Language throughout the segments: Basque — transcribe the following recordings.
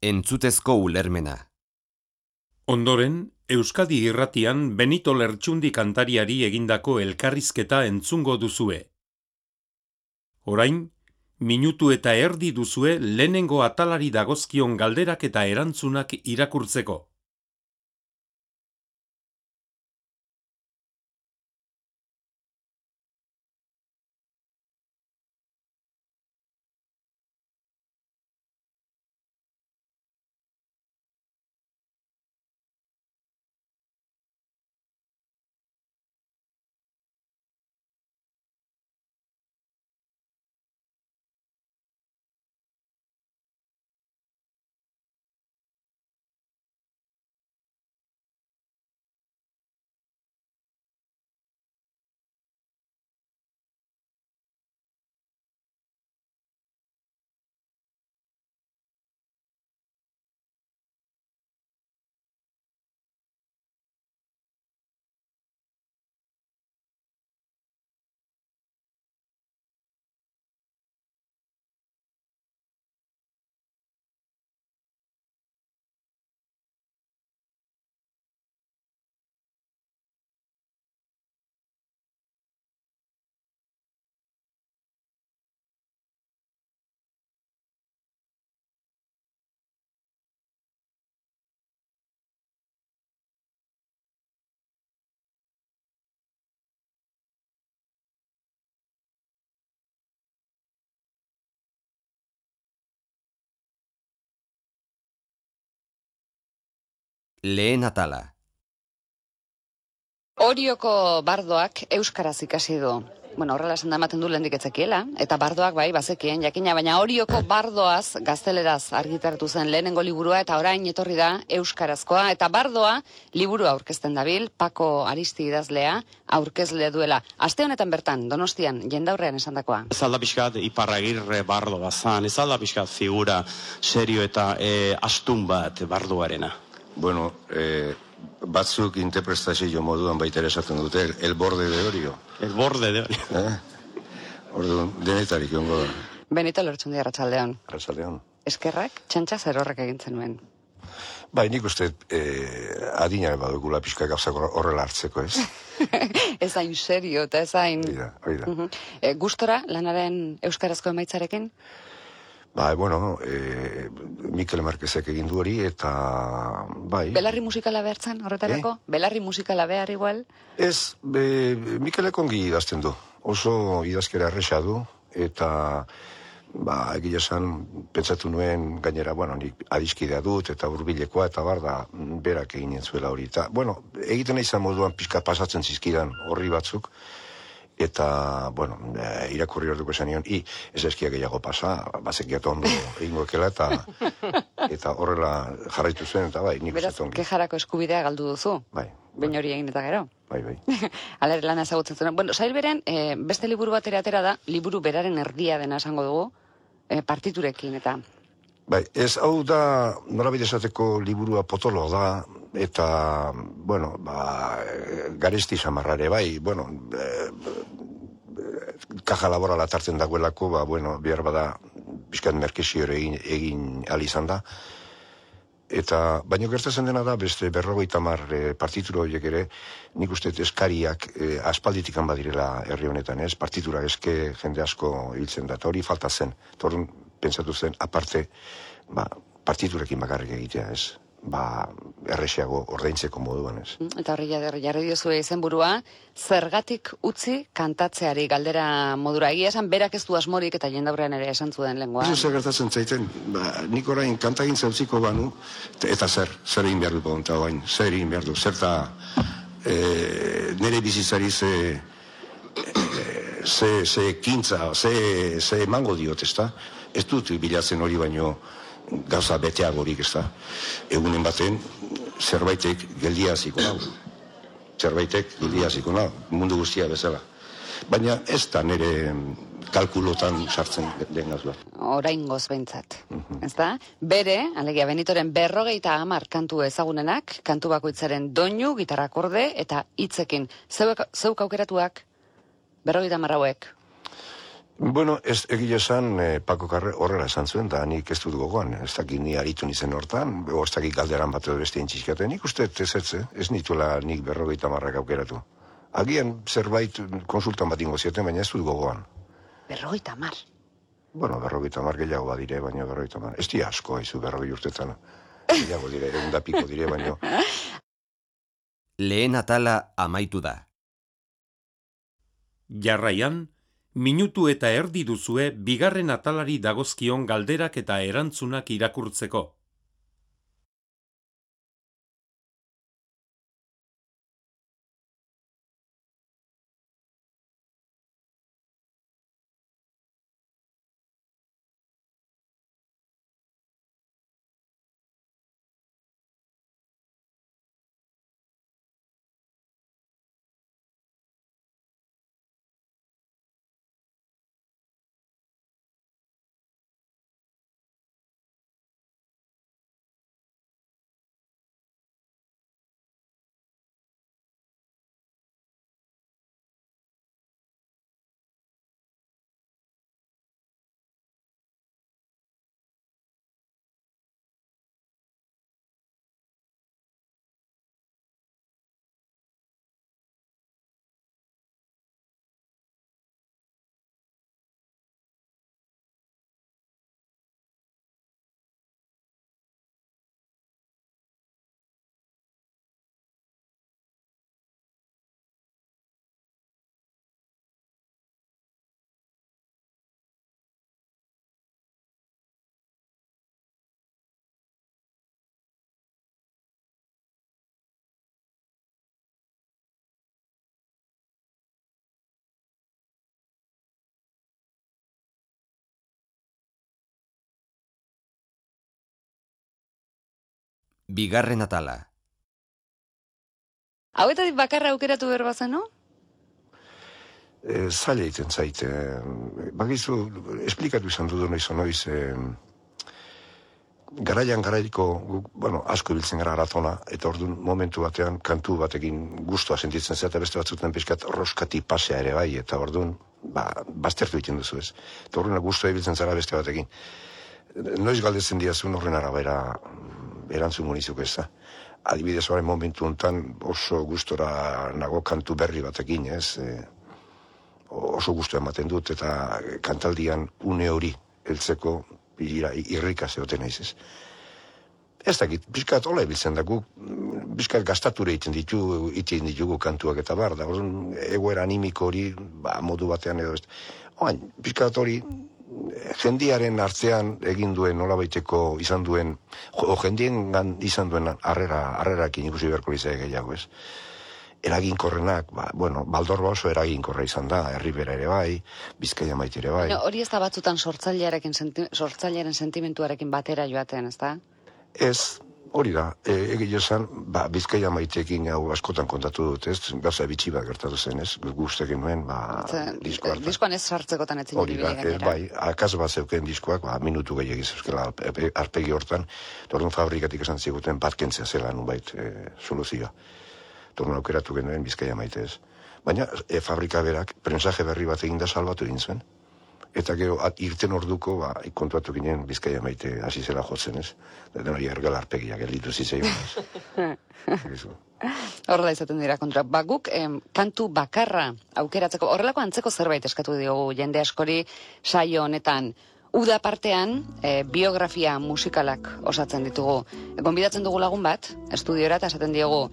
Entzutezko ulermena. Ondoren, Euskadi Irratian Benito Lertxundi kantariari egindako elkarrizketa entzungo duzue. Orain, minutu eta erdi duzue lehenengo atalari dagozkion galderak eta erantzunak irakurtzeko. Lehen atala. Orioko bardoak euskaraz ikasi du. Bueno, horrela esan da ematen du lehendik etzekiela, eta bardoak bai, bazekien jakina, baina Orioko bardoaz gazteleraz argitaratu zen lehenengo liburua, eta orain etorri da euskarazkoa, eta bardoa liburua aurkezten dabil, Pako Aristi idazlea aurkezle duela. Aste honetan bertan, Donostian, jendaurrean esandakoa. Ez alda pixkat Iparragirre bardo bazan, ez alda pixkat figura serio eta astun bat bardoarena. Bueno, batzuk interpretazio moduan baita ere esaten dute, el borde de Orio. El borde de Orio. Orduan, denetarik ongo da. Benito Lertxundi, arratsaldeon. Arratsaldeon. Eskerrak, txantxa zer horrek egintzen nuen. Bai, nik uste adina badugula pixka gauzak horrela hartzeko, ez? Ez hain serio eta ez hain... Oida. Gustora lanaren euskarazko emaitzarekin? Bai, bueno, Mikel Marquezek egin du hori, eta bai... Belarri musikala behartzen horretarako? Belarri musikala behar igual? Ez, Mikelek ongi idazten du. Oso idazkera erresa du, eta egia esan pentsatu nuen gainera, bueno, nik adiskidea dut, eta hurbilekoa, eta da berak egin zuela hori. Eta, bueno, egiten izan moduan pixka pasatzen zizkidan horri batzuk, eta, bueno, irakurri orduko esan nion, ez eskia gehiago pasa, bazekiatu ondo egingo ekela, eta horrela jarraitu zen, eta bai, nik beraz, kejarako eskubidea galdu duzu? Bai. Baina hori egin eta gero? Bai. Alere lana ezagutzen zuen. Bueno, sail beren, beste liburu bat atera da, liburu beraren erdia dena esango dugu, partiturekin, eta... Bai, ez hau da, norabide esateko liburua potolo da, eta, bueno, garesti samarrare, bai, bueno, kaja laborala tartzen dagoelako, bueno, behar bada, bizkat merkezio egin izan da, eta, baino gertatzen dena da, beste 50 partitura horiek ere, nik uste eskariak aspalditikan badirela herri honetan, ez? Partitura eske jende asko hiltzen da, eta hori falta zen. Torun pentsatu zen, aparte, partiturekin bakarrik egitea, ez? Errexiago ordaintzeko moduan, ez? Eta horri jarri diozue izenburua, zergatik utzi kantatzeari galdera modura. Egia esan, berak ez du asmorik eta jendaurrean ere esan zuen lenguan. Ez zer gertatzen zaiten, nik orain kantagintza utziko banu, eta zer egin behar du bonta orain, zer egin behar du, zerta nire bizitzari ze kintza, ze emango diot, ez da? Ez dut bilatzen hori baino gauza beteagorik, ez da? Egunen baten, zerbaitek geldia hasiko nau. Mundu guztia bezala. Baina ez da nire kalkulotan sartzen den gauza. Oraingoz behintzat, ez da? Bere, alegia Benitoren 50 kantu ezagunenak, kantu bakoitzaren doinu, gitarra akorde eta hitzekin. Zeuk aukeratuak 50 hauek? Bueno, ez egia esan, Paco Carre horrela esan zuen, da nik ez dut gogoan, ez dakit ni aritu nizen hortan, ez dakit galderan bat edo beste intxizkaten, nik uste ez nituela nik 50 aukeratu. Agian zerbait konsultan bat ingo zieten, baina ez dut gogoan. 50. Bueno, 50 gehiago badire, baina 50. Ez di asko, haizu 40 urtetan. Gehiago dire, 100 piko dire, baina... Lehen atala amaitu da. Jarraian, minutu eta erdi duzue bigarren atalari dagozkion galderak eta erantzunak irakurtzeko. Bigarren atala. Hauetatik bakarra aukeratu behar bazen, no? Zaila egiten zaite. Bagizu, esplikatu izan dudu noiz, garaiko, asko ibiltzen gara aratona, eta orduan momentu batean kantu batekin gustua sentitzen zea, eta beste batzuten pixkat roskati pasea ere bai, eta orduan, baztertu egiten duzu ez. Eta orduan gustua ibiltzen zara beste batekin. Noiz galdetzen diazun horren arabera erantzun munizuk ez da. Adibidez horren momentu honetan oso gustora nago kantu berri batekin, ez? Oso gustua ematen dut, eta kantaldian une hori heltzeko irrika zeoten naiz, ez? Ez dakit, bizkat hola ebiltzen da, guk bizkat gastature egiten ditugu kantuak eta bar, da egoera animiko hori, modu batean edo ez. Oain, bizkat hori jendiaren artean egin duen nolabaiteko izan duen, jendien izan duen harrerakin ikusi beharko lizea gehiago, ez? Eraginkorrenak, Baldorba oso eraginkorra izan da, Herribera ere bai, Bizkaia Maite ere bai. Hori ez da batzutan sortzailearen sentimentuarekin batera joaten, ez da? Ez, hori da, egia esan, Bizkaia Maiteekin hau askotan kontatu dut, ez? Gauza bitxi bat gertatu zen, ez? Guztekin nuen, disko hartan. Diskoan ez sartzekotan etzin hori da, bai, akaz bat zeuken diskoak, minutu gehiagiz euskela arpegi hortan, orduan fabrikatik esan ziguten bat kentzea zela nunbait soluzioa. Torno aukeratu genuen Bizkaia Maite ez. Baina fabrika berak prensaje berri bat eginda salbatu egin zuen. Eta gero irten orduko kontuatu ginen Bizkaia Maite hasi zela jotzen ez. Den hori ergela arpegia gelditu zitzaion ez. Horrela izaten dira kontra. Guk kantu bakarra aukeratzeko, horrelako antzeko zerbait eskatu diogu jende askori saio honetan. Uda partean, biografia musikalak osatzen ditugu. Gonbidatzen dugu lagun bat, estudiora, eta esaten diogu,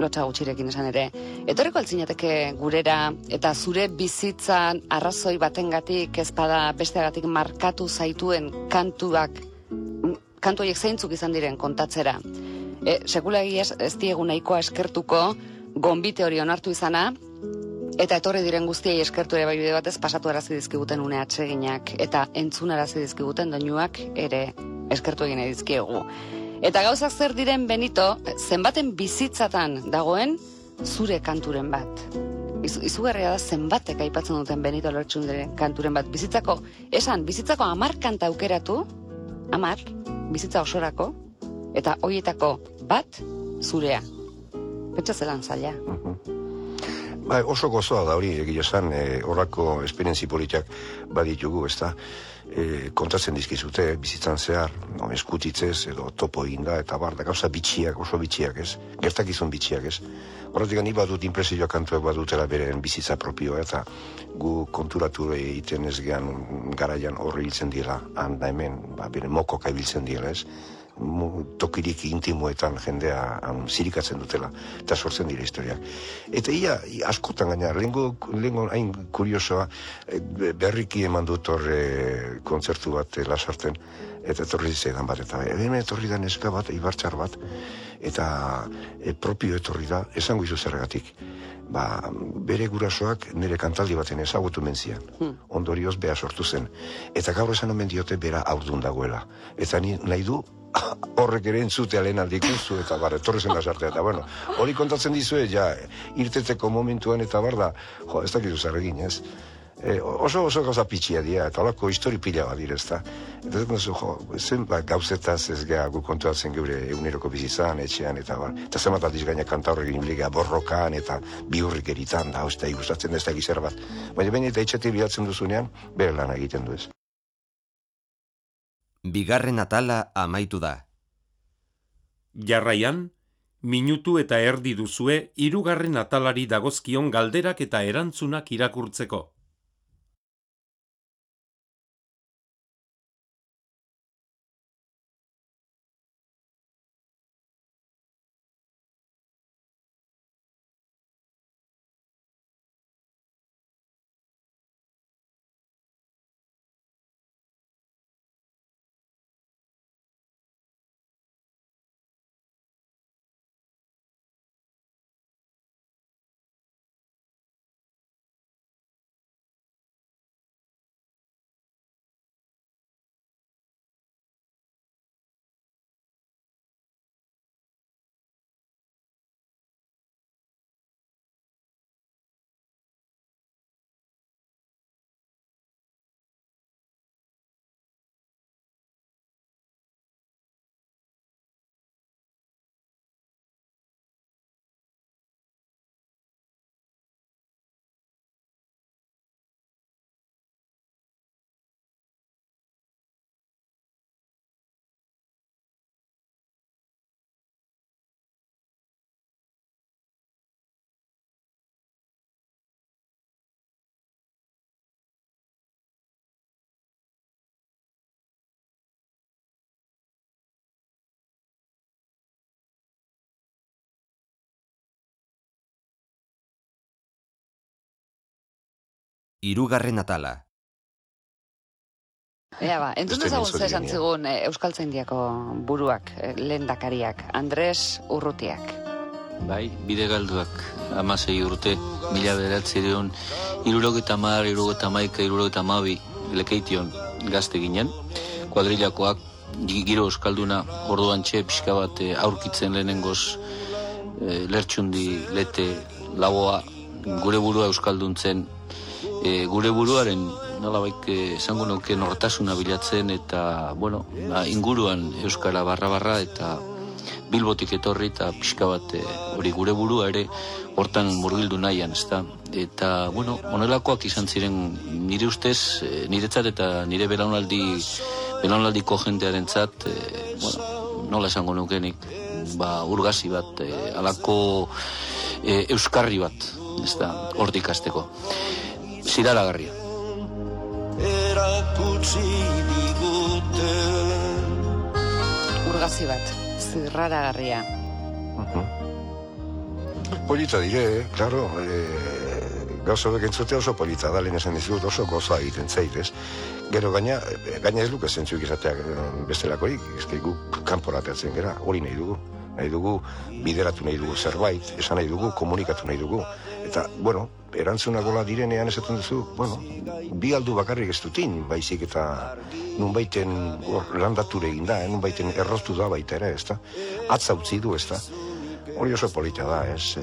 lotxa gutxirekin esan ere, etorriko altzinateke gurera, eta zure bizitzan arrazoi batengatik ezpada besteagatik markatu zaituen kantu horiek zeintzuk izan diren kontatzera. Sekula egiaz ez diegu nahikoa eskertuko, gonbite hori onartu izana, eta etorri diren guztiei eskertu ere bai bide batez pasatu arazi dizkiguten une atseginak eta entzun arazi dizkiguten doinuak ere eskertu egin dizkiegu. Eta gauzak zer diren Benito, zenbaten bizitzatan dagoen zure kanturen bat. Izugarria da zenbatek aipatzen duten Benito Lertxundiren kanturen bat. Bizitzako 10 kanta aukeratu, 10, bizitza osorako, eta hoietako bat zurea. Pentsa zelan zaila. Oso gozoa da hori, egia esan, horrako esperientzi politak baditugu, ez da, kontatzen dizkizute, bizitzan zehar, eskutitzez, edo topo eginda, eta bar, da gauza bitxiak, oso bitxiak, ez, gertakizun bitxiak, ez. Horretik ni badut impresioa kantuak badutela beren bizitza propioa, eta gu konturatu egiten ez gehan garaian horre hiltzen dira, handa hemen, beren mokoka ibiltzen dira, ez. Tokirik intimoetan jendea zirikatzen dutela, eta sortzen dira historiak. Eta ia askotan gaina, lehengo hain kuriosoa, berriki eman dut horre kontzertu bat Lasarten, eta etorri zaidan bat, eta hemen etorri da neska bat, ibartxar bat, eta propio etorri da, esango izu zergatik. Bere gurasoak nire kantaldi baten ezagutu mentzian. Ondorioz beha sortu zen. Eta gaur esan omen diote bera aurdun dagoela. Eta nahi du, horrek ere entzutea lehen aldikuzu, eta etorri zen Lasartea. Eta hori kontatzen dizue, irteteko momentuan, eta da, ez dakizu zer egin, ez? Oso gauza pitxia dira, eta holako histori pila bat dira, ez da. Eta zen gauzetaz ez geha gu kontuatzen geure eguneroko bizitzan, etxean, eta eta zenbat aldiz gaina kanta horrekin impliga borrokan, eta biurrik eritan, da, eta ikustatzen ez da gizar bat. Baina baina eta etxetik bilatzen duzunean, bere lan egiten du ez. Bigarren atala amaitu da. Jarraian, minutu eta erdi duzue hirugarren atalari dagozkion galderak eta erantzunak irakurtzeko. Hirugarren atala. Entzun dezagun ze esan zigun Euskaltzaindiako buruak, lehendakariak, Andres Urrutiak. Bai, bide galduak, 16 urte, 1970, 70, 71, 72, lekeition gazte ginen, kuadrilakoak, giro euskalduna, orduan txe pixka bat aurkitzen lehenengoz, lertxundi, lete, laboa, gure burua euskalduntzen, gure buruaren nolabaik esango nuke nortasuna bilatzen eta, inguruan euskara barra eta Bilbotik etorri eta pixka bat hori gure burua ere hortan murgildu nahian, ezta? Eta, honelakoak izan ziren nire ustez, niretzat eta nire belaunaldiko jendearentzat, nola esango nukenik, urgazi bat, alako euskarri bat, ezta, hortik hasteko. Ziraragarria. Urgazi bat, zirraragarria. Polita dire, klaro, gauza bek entzutea oso polita da, lehen esan dizut, oso gozoa egiten zaitez. Gero gaina ez luke zentzuik izateak bestelakorik, ezke guk kanporateatzen gara, hori nahi dugu, bideratu nahi dugu zerbait, esan nahi dugu, komunikatu nahi dugu. Eta, erantzunagola direnean esaten duzu, bi aldu bakarrik ez dutin, baizik eta nunbaiten landature egin da, nunbaiten erroztu da baita ere, ez da? Atza utzi du, ez da? Hori oso polita da, ez?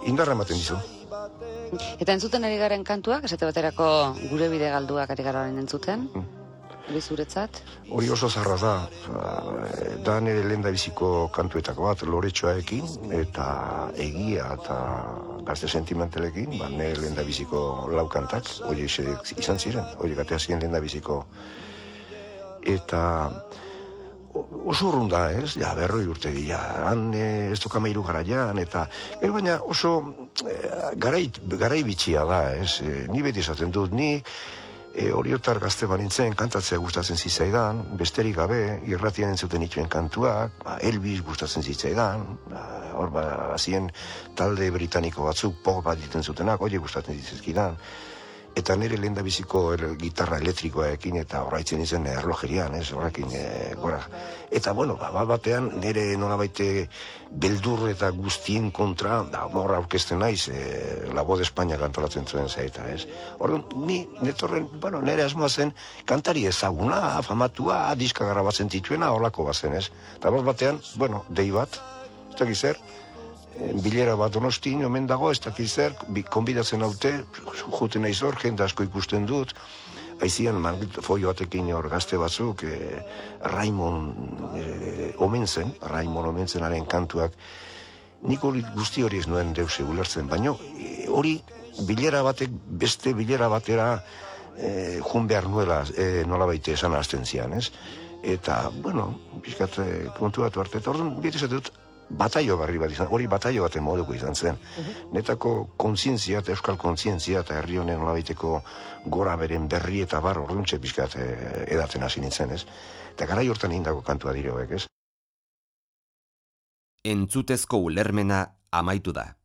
Indarra ematen dizu. Eta entzuten ari garen kantuak, esate baterako gure bide galduak ari gara entzuten? hori zuretzat? Hori oso zarra da nire lehendabiziko kantuetako bat, loretxoaekin, eta egia eta gazte sentimentalekin, nire lehendabiziko laukantak, hori izan ziren, hori gatea ziren lehendabiziko. Eta oso urrun da, ez? Ja, 40 urte dira, han ez doka 13 garaian, eta baina oso garai bitxia da, ez? Ni beti esaten dut, ni horiotar gazte banintzen kantatzea gustatzen zitzaidan, besterik gabe, irratian entzuten ituen kantuak, Elvis gustatzen zitzaidan, hor bazien talde britaniko batzuk pop bat diten zutenak, hori gustatzen zitzaidan. Eta nire lehendabiziko gitarra elektrikoekin eta horraitzen izen erlojerian, ez, horrekin gora. Eta, bueno, batean nire nolabaite beldur eta guztien kontra, morra aurkezten naiz, La Voz de España kantolatzen zuen zaita, ez. Orduan, nire asmoa zen kantari ezaguna, famatua, diska grabatzen tituena, horlako bazen, ez. Eta batean, bueno, dei bat, ez dakiz zer, bilera bat Donostin, omen dago, ez dakiz zer, konbidatzen haute, juten naiz hor, jende asko ikusten dut, aizian folio batekin hor gazte batzuk, Raimon Omenzenaren kantuak, nik hori guzti hori ez nuen deuse ulertzen, baina hori bilera batek beste bilera batera jun behar nuela nola baite esan hasten zian, ez? Eta, bueno, pixkat kontu bat arte, eta orduan beti dut, bataio barri bat izan, hori bataio baten moduko izan zen. Netako kontzientzia eta euskal kontzientzia eta herri honen nolabaiteko gora beren berri eta bar orduntxe pixkat edaten hasi nintzen, ez? Eta garai hortan indako kantua dire hoek, ez? Entzutezko ulermena amaitu da.